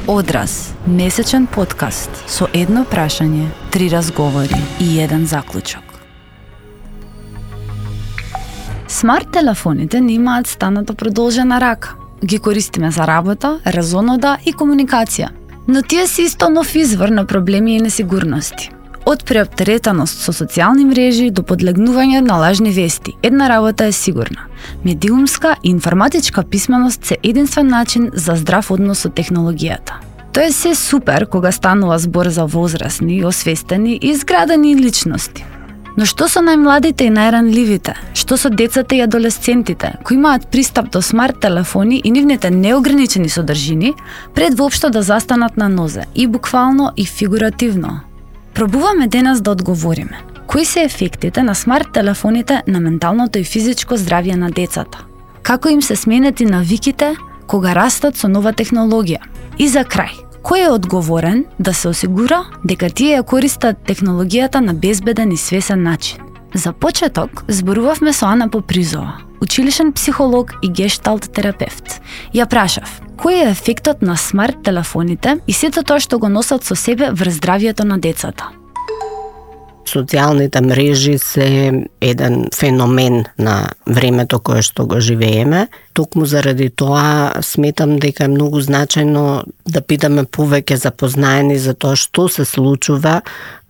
Одраз, месечен подкаст со едно прашање, 3 разговори и еден заклучок. Смарт телефоните не имаат станата продолжена рака. Ги користиме за работа, разонода и комуникација. Но тие се исто нов извор на проблеми и несигурности. Од преоптеретаност со социјални мрежи до подлегнување на лажни вести, една работа е сигурна. Медиумска и информатичка писменост се единствен начин за здрав однос со технологијата. Тоа е се супер кога станува збор за возрастни, освестени и изградени личности. Но што со најмладите и најранливите? Што со децата и адолесцентите, кои имаат пристап до смарт телефони и нивните неограничени содржини, пред воопшто да застанат на нозе, и буквално и фигуративно? Пробуваме денес да одговориме. Кои се ефектите на смарт телефоните на менталното и физичко здравје на децата? Како им се сменети навиките кога растат со нова технологија? И за крај, кој е одговорен да се осигура дека тие ја користат технологијата на безбеден и свесен начин? За почеток, зборувавме со Ана Попризова, училишен психолог и гешталт терапевт. Ја прашав, кој е ефектот на смарт телефоните и сето тоа што го носат со себе врз здравјето на децата? Социјалните мрежи се еден феномен на времето кое што го живееме. Токму заради тоа сметам дека е многу значајно да бидеме повеќе запознаени за тоа што се случува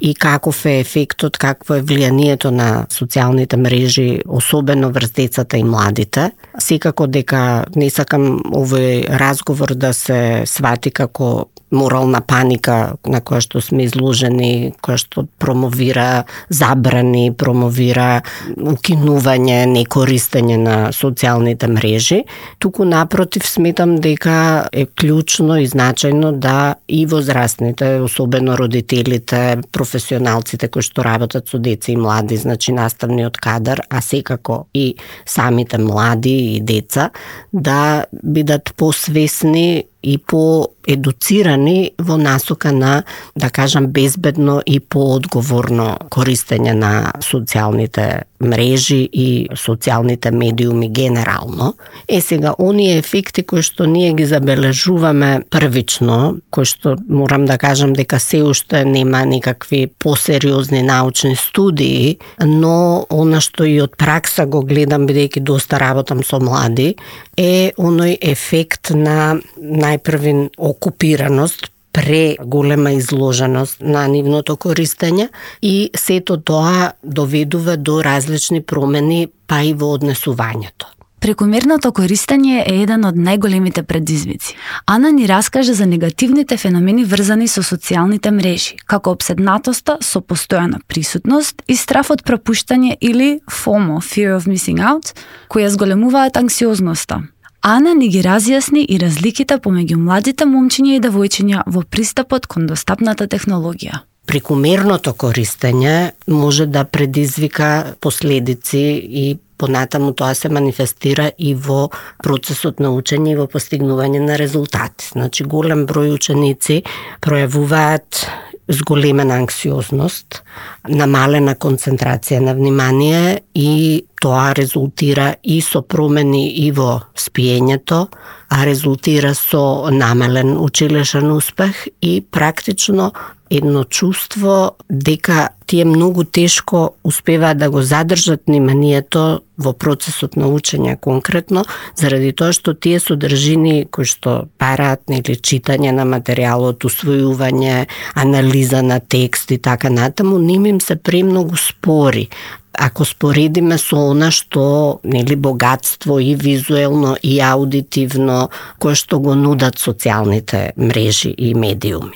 и каков е ефектот, какво е влијанието на социјалните мрежи, особено врз децата и младите. Секако дека не сакам овој разговор да се свати како морална паника на која што сме изложени, која што промовира забрани, промовира укинување, некористење на социјалните мрежи. Туку напротив сметам дека е клучно и значајно да и возрастните, особено родителите, професионалците кои што работат со деца и млади, значи наставниот кадар, а секако и самите млади и деца, да бидат посвесни и поедуцирани во насока на, да кажам, безбедно и поодговорно користење на социјалните мрежи и социјалните медиуми генерално. Сега, оние ефекти кои што ние ги забележуваме првично, кои што морам да кажам дека се уште нема никакви посериозни научни студии, но она што и од пракса го гледам, бидејќи доста работам со млади, е оној ефект на најпрвин окупираност, преголема изложеност на нивното користење и сето тоа доведува до различни промени па и во однесувањето. Прекомерното користење е еден од најголемите предизвици. Ана ни раскаже за негативните феномени врзани со социјалните мрежи, како опседнатоста со постојана присутност и страф од пропуштање или FOMO, Fear of Missing Out, кои ја зголемуваат анксиозноста. Ана ни ги разјасни и разликите помеѓу младите момчиња и девојчиња во пристапот кон достапната технологија. Прекомерното користење може да предизвика последици и понатаму тоа се манифестира и во процесот на учење и во постигнување на резултати. Значи, голем број ученици пројавуваат зголемена анксиозност, намалена концентрација на внимание и тоа резултира и со промени и во спиењето, а резултира со намален училишен успех и практично едно чувство дека тие многу тешко успеваат да го задржат вниманието во процесот на учење конкретно, заради тоа што тие содржини кои што бараат или читање на материјалот, усвојување, анализа на текст и така натаму, им се премногу спори. Ако споредиме со она што богатство и визуелно и аудитивно кое што го нудат социјалните мрежи и медиуми.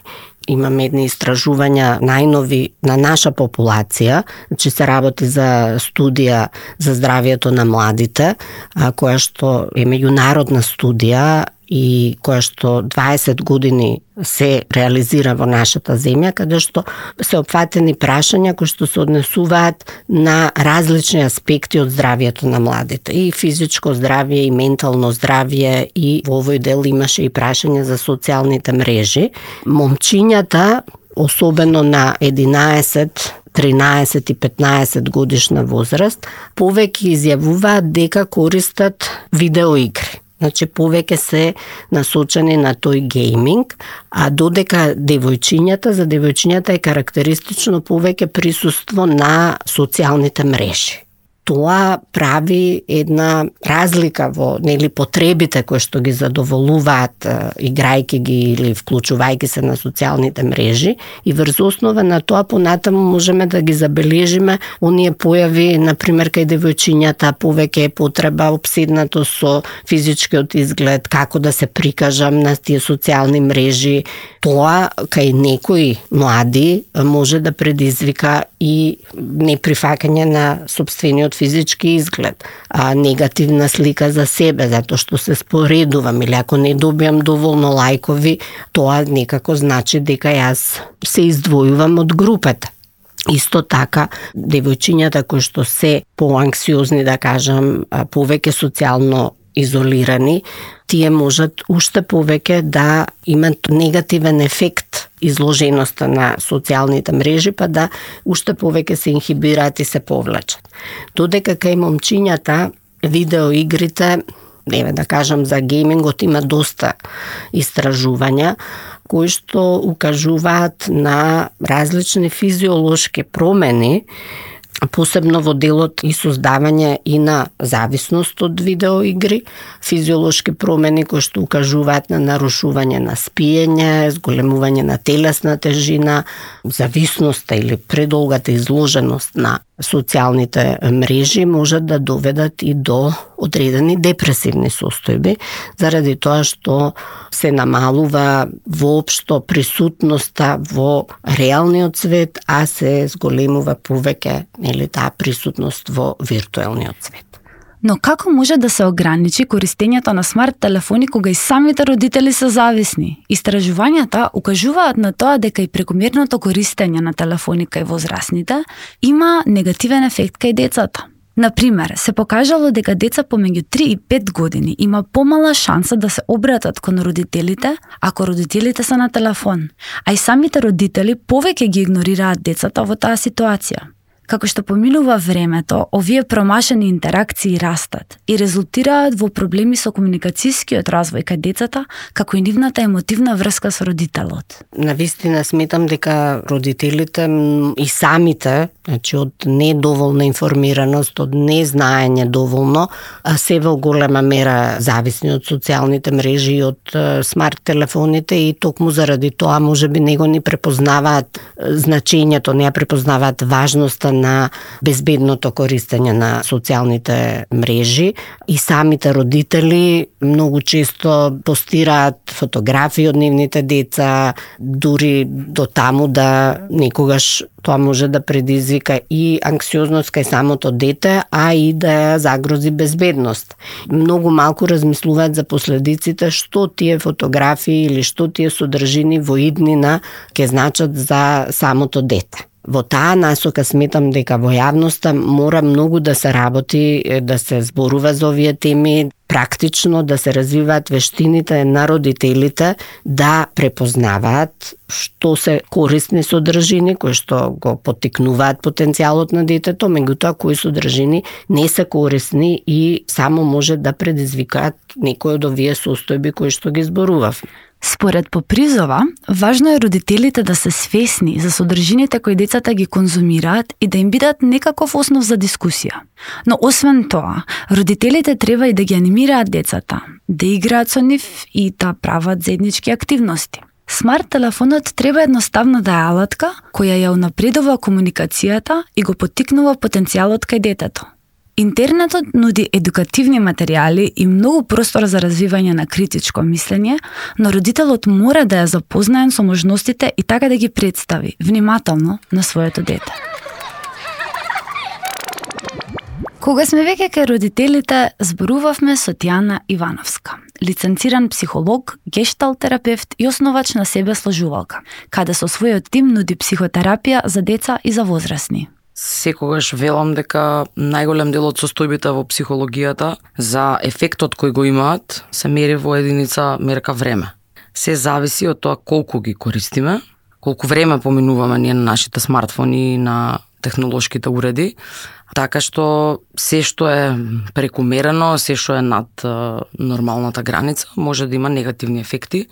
Имаме едни истражувања најнови на наша популација, значи се работи за студија за здравјето на младите, која што е меѓународна студија и која што 20 години се реализира во нашата земја, каде што се опфатени прашања кои што се однесуваат на различни аспекти од здравјето на младите. И физичко здравје, и ментално здравје, и во овој дел имаше и прашања за социјалните мрежи. Момчињата, особено на 11, 13 и 15 годишна возраст, повеќе изјавуваат дека користат видеоигри. Значи, повеќе се насочени на тој гейминг, а додека за девојчињата е карактеристично повеќе присуство на социјалните мрежи. Тоа прави една разлика во потребите кои што ги задоволуваат играјќи ги или вклучувајќи се на социјалните мрежи, и врз основа на тоа понатаму можеме да ги забележиме оние појави, например кај девојчињата повеќе е потреба опседнато со физичкиот изглед, како да се прикажам на тие социјални мрежи. Тоа кај некои млади може да предизвика и неприфаќање на сопствениот физички изглед, негативна слика за себе, затоа што се споредувам, или ако не добиам доволно лајкови, тоа некако значи дека јас се издвојувам од групата. Исто така, девојчињата кои што се поанксиозни, да кажам, повеќе социјално изолирани, тие можат уште повеќе да имат негативен ефект изложеноста на социјалните мрежи, па да уште повеќе се инхибираат и се повлечат. Додека кај момчињата видеоигрите, да кажам за геймингот, има доста истражувања кои што укажуваат на различни физиолошки промени, посебно во делот и создавање и на зависност од видеоигри, физиолошки промени кои што укажуваат на нарушување на спиење, зголемување на телесна тежина, зависноста или предолгата изложеност на социјалните мрежи можат да доведат и до одредени депресивни состојби, заради тоа што се намалува воопшто присутноста во реалниот свет, а се зголемува повеќе таа присутност во виртуелниот свет. Но како може да се ограничи користењето на смарт телефони кога и самите родители се зависни? Истражувањата укажуваат на тоа дека и прекомерното користење на телефони кај возрастните има негативен ефект кај децата. Например, се покажало дека деца помеѓу 3 и 5 години има помала шанса да се обратат кон родителите ако родителите се на телефон, а и самите родители повеќе ги игнорираат децата во таа ситуација. Како што поминува времето, овие промашени интеракции растат и резултираат во проблеми со комуникацијскиот развој кај децата, како и нивната емотивна врска со родителот. Навистина сметам дека родителите и самите, значи од недоволна информираност, од незнаење доволно, се во голема мера зависни од социјалните мрежи и од смарт телефоните, и токму заради тоа можеби него не препознаваат значењето, не ја препознаваат важноста на безбедното користење на социјалните мрежи, и самите родители многу често постираат фотографии од нивните деца, дури до таму да некогаш тоа може да предизвика и анксиозност кај самото дете, а и да ја загрози безбедност. Многу малку размислуваат за последиците што тие фотографии или што тие содржини во иднина ќе значат за самото дете. Во таа насока сметам дека во јавноста мора многу да се работи, да се зборува за овие теми, практично да се развиваат вештините на родителите да препознаваат што се корисни содржини кои што го поттикнуваат потенцијалот на детето, меѓутоа кои содржини не се корисни и само може да предизвикаат некои од овие состојби кои што ги зборував. Според Попризова, важно е родителите да се свесни за содржините кои децата ги конзумираат и да им бидат некаков основ за дискусија. Но освен тоа, родителите треба и да ги анимираат децата, да играат со нив и да прават заеднички активности. Смарт телефонот треба едноставно да е алатка која ја унапредува комуникацијата и го поттикнува потенцијалот кај детето. Интернетот нуди едукативни материјали и многу простор за развивање на критичко мислење, но родителот мора да ја запознаен со можностите и така да ги представи внимателно на своето дете. Кога сме веќе кај родителите, зборувавме со Тијана Ивановска, лиценциран психолог, гешталт терапевт и основач на себесложувалка, каде со својот тим нуди психотерапија за деца и за возрастни. Секогаш велам дека најголем дел од состојбите во психологијата за ефектот кој го имаат се мери во единица мерка време. Се зависи од тоа колку ги користиме, колку време поминуваме ние на нашите смартфони и на технолошките уреди, Така што се што е прекумерено, се што е над нормалната граница, може да има негативни ефекти.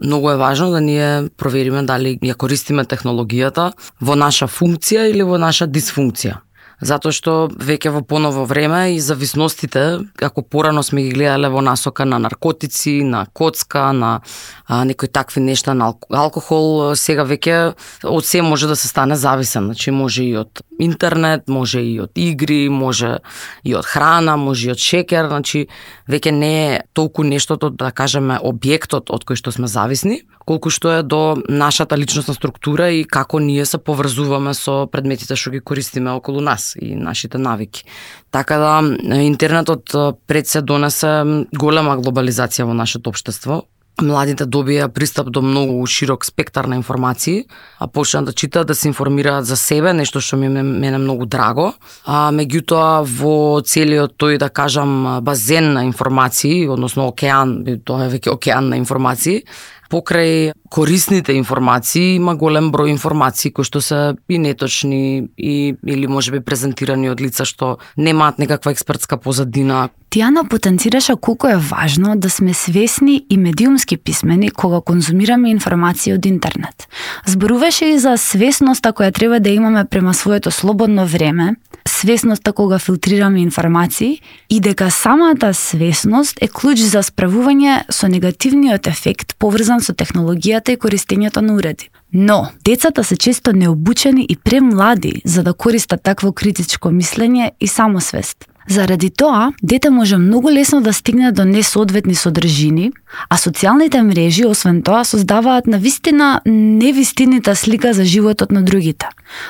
Многу е важно да ние провериме дали ја користиме технологијата во наша функција или во наша дисфункција. Затоа што веќе во поново време и зависностите, како порано сме ги гледале во насока на наркотици, на коцка, на некои такви нешта, на алкохол, сега веќе од се може да се стане зависен. Значи може и од интернет, може и од игри, може и од храна, може и од шекер, значи веќе не е толку нештото, да кажеме, објектот од кој што сме зависни, колку што е до нашата личностна структура и како ние се поврзуваме со предметите што ги користиме околу нас и нашите навики. Така да интернетот пред се донесе голема глобализација во нашето општество. Младите добија пристап до многу широк спектар на информации, а почнаа да читаат, да се информираат за себе, нешто што мене многу драго. Меѓутоа во целиот тој, да кажам, базен на информации, односно океан, тоа е веќе океан на информации, покрај корисните информации има голем број информации кои што се и неточни или можеби презентирани од лица што немаат некаква експертска позадина. Тијана потенцираше колку е важно да сме свесни и медиумски писмени кога конзумираме информации од интернет. Зборуваше и за свесноста која треба да имаме према своето слободно време, свесноста кога филтрираме информации и дека самата свесност е клуч за справување со негативниот ефект поврзан со технологијата и користењето на уреди. Но, децата се често необучени и премлади за да користат такво критичко мислење и самосвест. Заради тоа, дете може многу лесно да стигне до несоодветни содржини, а социјалните мрежи, освен тоа, создаваат навистина невистината слика за животот на другите.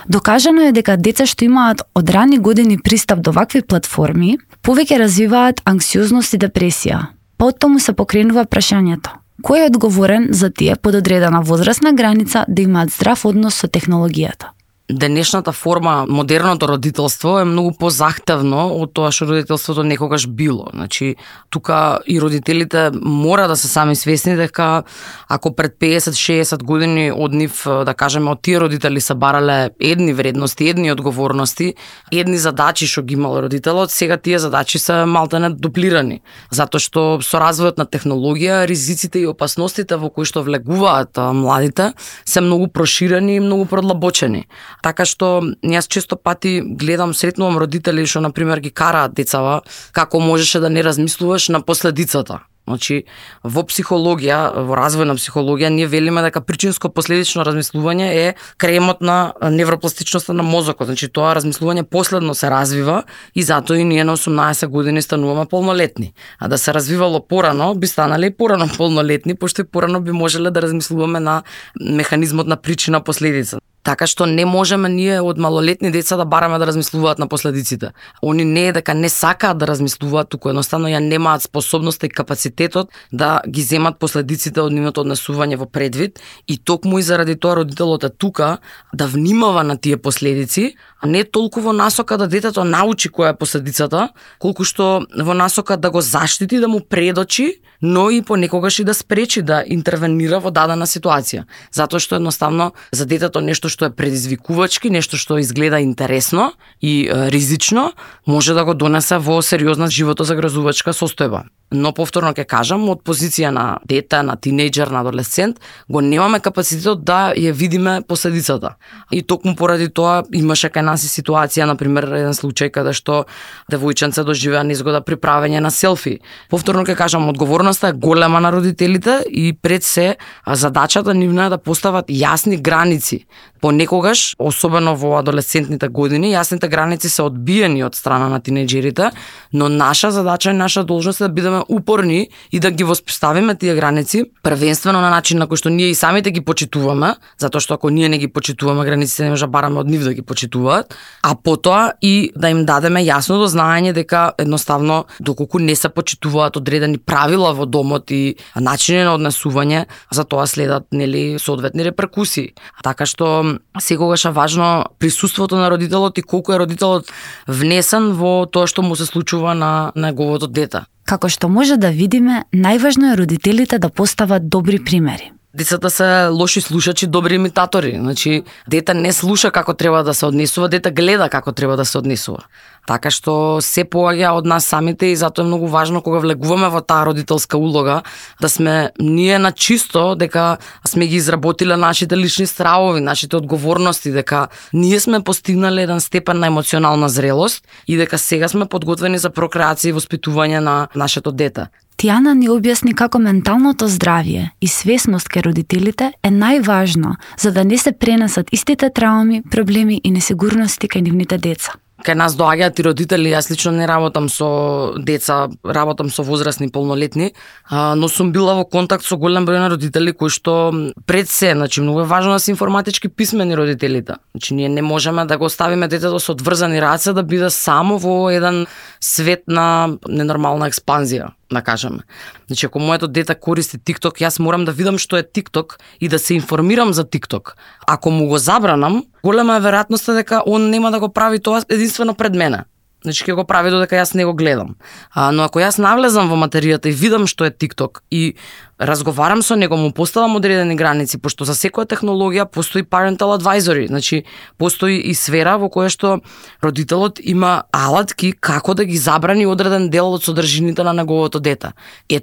Докажано е дека деца што имаат од рани години пристап до вакви платформи, повеќе развиваат анксиозност и депресија. Потому се покренува прашањето: кој е одговорен за тие под одредена возрастна граница да имаат здрав однос со технологијата? Денешната форма, модерното родителство е многу позахтевно од тоа што родителството некогаш било. Значи, тука и родителите мора да се сами свесни дека ако пред 50-60 години од нив, да кажеме, од тие родители се барале едни вредности, едни одговорности, едни задачи што ги имал родителот, сега тие задачи се малтене дуплирани. Затоа што со развојот на технологија, ризиците и опасностите во кои што влегуваат младите се многу проширени и многу продлабочени. Така што јас често пати гледам, сретнувам родители што на пример ги караат децава како можеше да не размислуваш на последицата. Значи, во психологија, во развој на психологија, ние велиме дека причинско-последично размислување е кремот на невропластичноста на мозокот. Значи, тоа размислување последно се развива и затоа и ние на 18 години стануваме полнолетни. А да се развивало порано, би станале и порано полнолетни, пошто и порано би можеле да размислуваме на механизмот на причина-последица. Така што не можеме ние од малолетни деца да бараме да размислуваат на последиците. Они не е дека не сакаат да размислуваат, туку едноставно ја немаат способноста и капацитетот да ги земат последиците од нивното однесување во предвид и токму и заради тоа родителот е тука да внимава на тие последици, а не толку во насока да детето научи која е последицата, колку што во насока да го заштити, да му предочи, но и понекогаш и да спречи да интервенира во дадена ситуација. Затоа што едноставно за детето нешто што е предизвикувачки, нешто што изгледа интересно и ризично, може да го донесе во сериозна животозагрозувачка состојба. Но повторно ќе кажам, од позиција на дете, на тинејџер, на адолесцент, го немаме капацитет да ја видиме последицата. И токму поради тоа имаше кај нас и ситуација, например, еден случај каде што девојченце доживеа незгода при правење на селфи. Повторно ќе кажам, одговорноста е голема на родителите и пред се задачата нивна е да постават јасни граници. Понекогаш, особено во адолесцентните години, јасните граници се одбиени од страна на тинејџерите, но наша задача и наша должност е да бидеме упорни и да ги воспоставиме тие граници, првенствено на начин на кој што ние и самите ги почитуваме, затоа што ако ние не ги почитуваме границите, не може да бараме од нив да ги почитуваат, а потоа и да им дадеме јасно дознаење дека едноставно доколку не се почитуваат одредени правила во домот и начини на однесување, за тоа следат нели соодветни реперкусии. Така што секогаш е важно присуството на родителот и колку е родителот внесен во тоа што му се случува на неговото дете. Како што може да видиме, најважно е родителите да постават добри примери. Децата се лоши слушачи, добри имитатори. Значи, дете не слуша како треба да се однесува, дете гледа како треба да се однесува. Така што се поаѓа од нас самите и затоа е многу важно кога влегуваме во таа родителска улога да сме ние на чисто, дека сме ги изработиле нашите лични стравови, нашите одговорности, дека ние сме постигнале еден степен на емоционална зрелост и дека сега сме подготвени за прокреација и воспитување на нашето дете. Тијана ни објасни како менталното здравје и свесност кај родителите е најважно за да не се пренесат истите трауми, проблеми и несигурности кај нивните деца. Кај нас доаѓаат и родители, јас лично не работам со деца, работам со возрастни полнолетни, но сум била во контакт со голем број на родители кои што пред се, значи многу е важно да се информатички писмени родителите. Значи ние не можеме да го оставиме детето со одврзани раце да биде само во еден свет на ненормална експанзија, да кажеме. Значи ако моето дете користи TikTok, јас морам да видам што е TikTok и да се информирам за TikTok. Ако му го забранам, голема е веројатноста дека он нема да го прави тоа единствено пред мене. Значи ќе го прави додека јас не го гледам. Но ако јас навлезам во материјата и видам што е TikTok и разговарам со него, му поставам одредени граници, пошто за секоја технологија постои parental advisory, значи постои и сфера во која што родителот има алатки како да ги забрани одреден дел од содржините на неговото дете.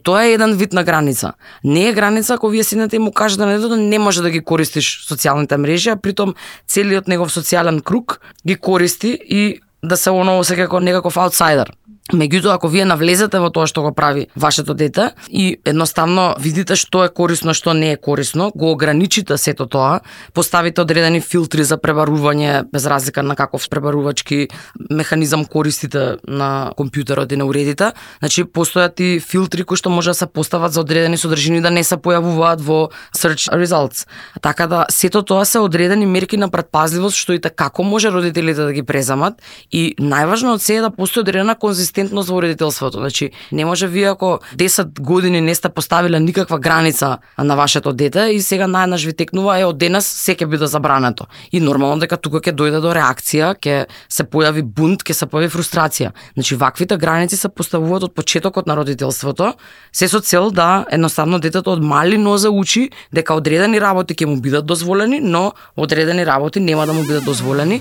Тоа е еден вид на граница. Не е граница ако вие седнете и му кажете на детето не може да ги користиш социјалните мрежи, а притом целиот негов социјален круг ги користи и да се осеќа како некаков аутсайдер. Меѓутоа, ако вие навлезете во тоа што го прави вашето дете и едноставно видите што е корисно, што не е корисно, го ограничите сето тоа, поставите одредени филтри за пребарување, без разлика на каков пребарувачки механизам користите на компјутерот и на уредите, значи постојат и филтри кои што може да се постават за одредени содржини да не се појавуваат во search results. Така да сето тоа се одредени мерки на претпазливост што и како може родителите да ги преземат и најважно од се е да постои одредена конзистентност во родителството. Значи, не може вие ако 10 години не сте поставиле никаква граница на вашето дете и сега најнаш ви текнува од денес се ќе биде забрането. И нормално дека тука ќе дојде до реакција, ќе се појави бунт, ќе се појави фрустрација. Значи, ваквите граници се поставуваат од почетокот на родителството, се со цел да едноставно детето од мали нозе учи дека одредени работи ќе му бидат дозволени, но одредени работи нема да му бидат дозволени.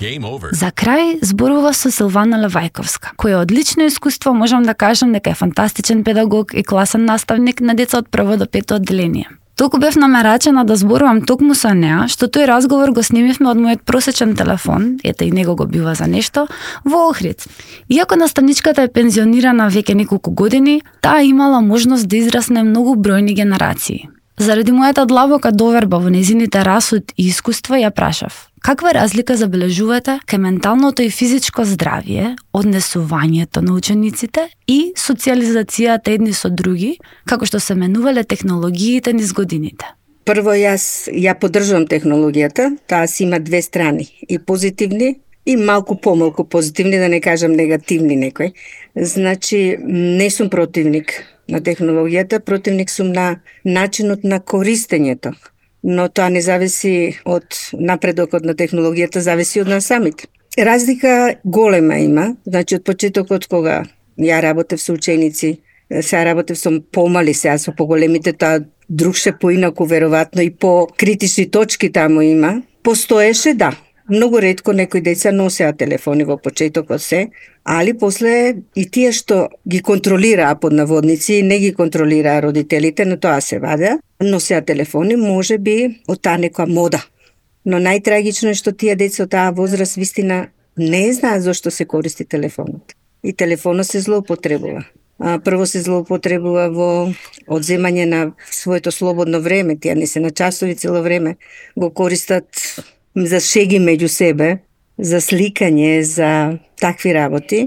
За крај зборува со Силвана Левајковска, која одлично искуство можам да кажам дека е фантастичен педагог и класен наставник на деца од прво до пето одделение. Толку бев намерачена да зборувам токму со неа, што тој разговор го снимивме од мојот просечен телефон, ете и него го бива за нешто, во Охрид. Иако наставничката е пензионирана веќе неколку години, таа имала можност да израсне многу бројни генерации. Заради мојата длабока доверба во незините расуд и искуство ја прашав: каква разлика забележувате кај менталното и физичко здравје, однесувањето на учениците и социализацијата едни со други, како што се менувале технологиите низ годините? Прво, јас ја поддржувам технологијата, таа си има две страни, и позитивни и малку помалку позитивни, да не кажам негативни некои. Значи, не сум противник на технологијата, противник сум на начинот на користењето. Но тоа не зависи од напредокот на технологијата, зависи од нас самите. Разлика голема има, значи од почетокот кога ја работев со ученици, сега работев со помали, сега со поголемите, тоа другше поинаку веројатно и по критични точки таму има. Постоеше, да. Многу ретко некои деца носеа телефони во почетокот се, али после и тие што ги контролираа под наводници, не ги контролираа родителите, но тоа се ваде, носеа телефони, може би од таа некоја мода. Но најтрагично е што тие деца од таа возраст вистина не знаат зошто се користи телефонот. И телефонот се злоупотребува. Прво се злоупотребува во одземање на своето слободно време, тие не се на часови цело време, го користат за шеги меѓу себе, за сликање, за такви работи,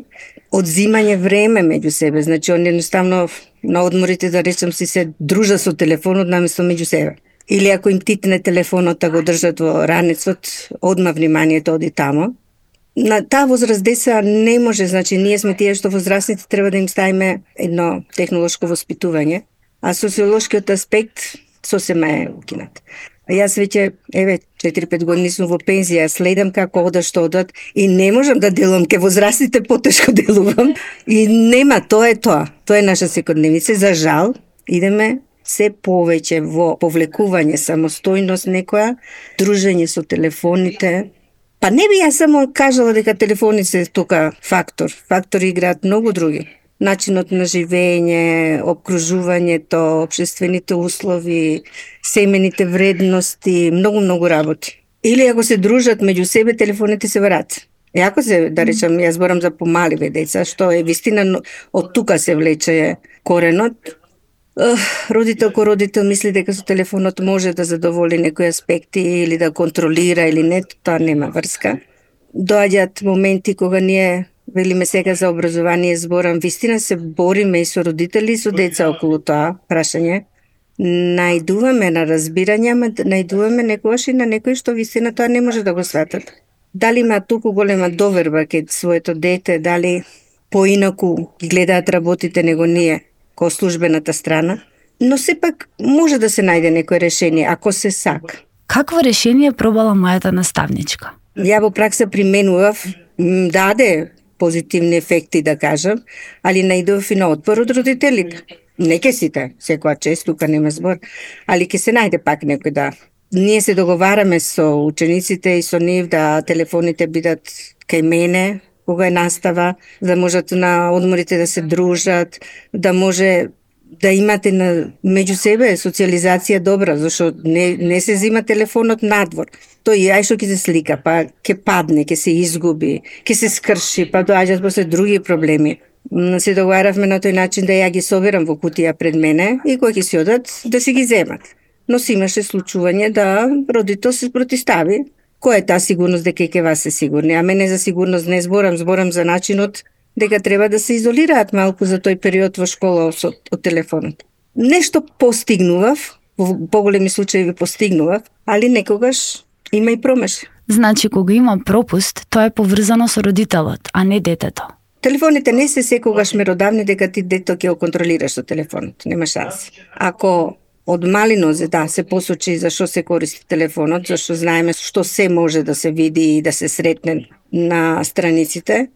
одзимање време меѓу себе. Значи, он едноставно на одморите, да речем, си се дружа со телефонот наместо меѓу себе. Или ако им титне телефонот, да го држат во ранецот, одма вниманието оди тамо. На таа возраст деца не може, значи, ние сме тие што возрастните треба да им ставиме едно технолошко воспитување, а социолошкиот аспект сосема е укинат. Јас веќе, 4-5 години сум во пензија, следам како одат, што одат и не можам да делувам, ке возрастите потешко делувам и нема, тоа е тоа. Тоа е наша секојдневница. За жал, идеме се повеќе во повлекување самостојност некоја, дружење со телефоните. Па не би јас само кажала дека телефоните се тука фактор. Фактори играат многу други. Начинот на живење, обкружувањето, општествените услови, семените вредности, многу работи. Или ако се дружат меѓу себе, телефоните се врат. И ако се, да речам, јас зборам за помаливе деца, што е вистина од тука се влече коренот. Родител ко родител мисли дека со телефонот може да задоволи некои аспекти или да контролира или не, тоа нема врска. Доаѓаат моменти кога ние велиме сега за образование, зборам, вистина се бориме и со родители и со деца околу тоа прашање. Најдуваме на разбирање, ама најдуваме некогаш и на некои што вистина тоа не може да го сватат. Дали има толку голема доверба кај своето дете, дали поинаку ги гледаат работите него ние, ко службената страна, но сепак може да се најде некој решение, ако се сака. Какво решение пробала мојата наставничка? Ја во пракса применував, даде позитивни ефекти, да кажам, али најдов и на отпор од родителите. Не ке сите, секоја чест, тука нема збор, али ке се најде пак некој да. Ние се договараме со учениците и со нив да телефоните бидат кај мене, кога е настава, да можат на одморите да се дружат, да може да имате меѓу себе социализација добра, зашто не се зима телефонот надвор. Тој ај што ќе се слика, па ќе падне, ќе се изгуби, ќе се скрши, па доаѓаат после други проблеми. Се договаравме на тој начин да ја ги соберам во кутија пред мене и кога ќе си одат да си ги земат. Но си имаше случување да родител се протистави. Која е таа сигурност дека и ке вас се сигурни? А мене за сигурност не зборам за начинот дека треба да се изолираат малку за тој период во школа од телефонот. Нешто постигнував, во поголеми случаи постигнував, али некогаш има и промашај. Значи, кога има пропуст, тоа е поврзано со родителот, а не детето. Телефоните не се секогаш меродавни дека ти дето ќе го контролираш со телефонот. Нема шанси. Ако од малинозе, да, се посочи за што се користи телефонот, зашто знаеме што се може да се види и да се сретне на страниците,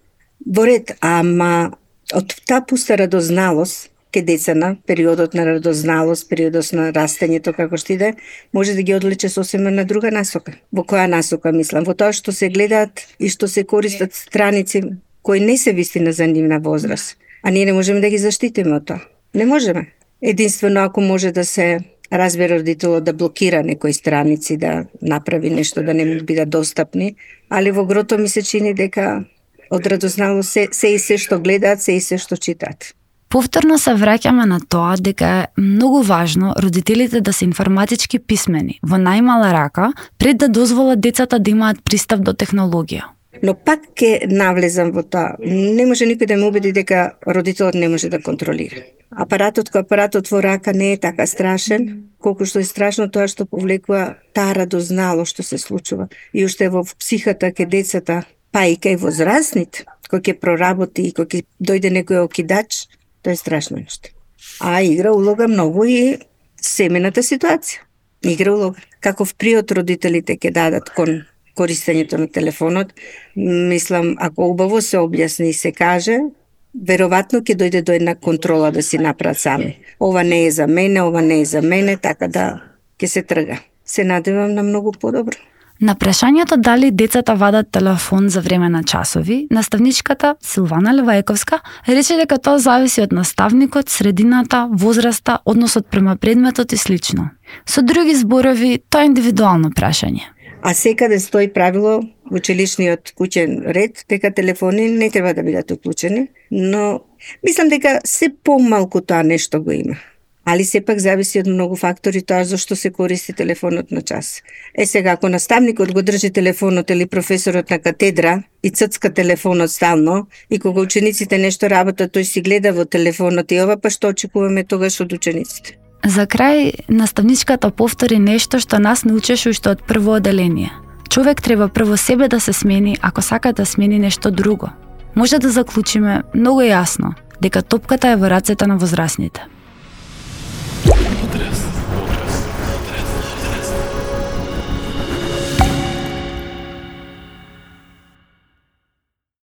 во ред, ама од таа пуста радозналост ке децана, периодот на радозналост, периодот на растењето, како што иде, може да ги одлече сосема на друга насока. Во која насока, мислам? Во тоа што се гледаат и што се користат страници кои не се вистина за нивна возраст. А ние не можеме да ги заштитиме од тоа. Не можеме. Единствено ако може да се разбере родителот да блокира некои страници, да направи нешто да не му бидат достапни, али во грото ми се чини дека од радозналост се и се што гледаат, се и се што читаат. Повторно се враќаме на тоа дека е многу важно родителите да се информатички писмени во најмала рака пред да дозволат децата да имаат пристап до технологија. Но пак ке навлезам во тоа. Не може никој да ме убеди дека родителот не може да контролира. Апаратот во рака не е така страшен, колку што е страшно тоа што повлекува таа радознало што се случува. И уште во психата ке децата, па и кај возрастните, кој ќе проработи и кој ќе дојде некој окидач, тоа е страшно нешто. А игра улога многу и семената ситуација. Игра улога. Каков приот родителите ќе дадат кон користењето на телефонот, мислам, ако убаво се објасни и се каже, веројатно ќе дојде до една контрола да си направат сами. Ова не е за мене, ова не е за мене, така да ќе се трга. Се надевам на многу подобро. На прашањето дали децата вадат телефон за време на часови, наставничката Силвана Левајковска рече дека тоа зависи од наставникот, средината, возраста, односот према предметот и слично. Со други зборови, тоа е индивидуално прашање. А секаде стои правило во училишниот куќен ред дека телефони не треба да бидат уклучени, но мислам дека се помалку тоа нешто го има. Али сепак зависи од многу фактори тоа зашто се користи телефонот на час. Сега, ако наставникот го држи телефонот или професорот на катедра и ццка телефонот стално, и кога учениците нешто работат, тој си гледа во телефонот и ова, па што очекуваме тогаш од учениците? За крај, наставничката повтори нешто што нас научеше уште од прво оделение. Човек треба прво себе да се смени ако сака да смени нешто друго. Може да заклучиме многу јасно дека топката е во рацете на возрастните. Потрес.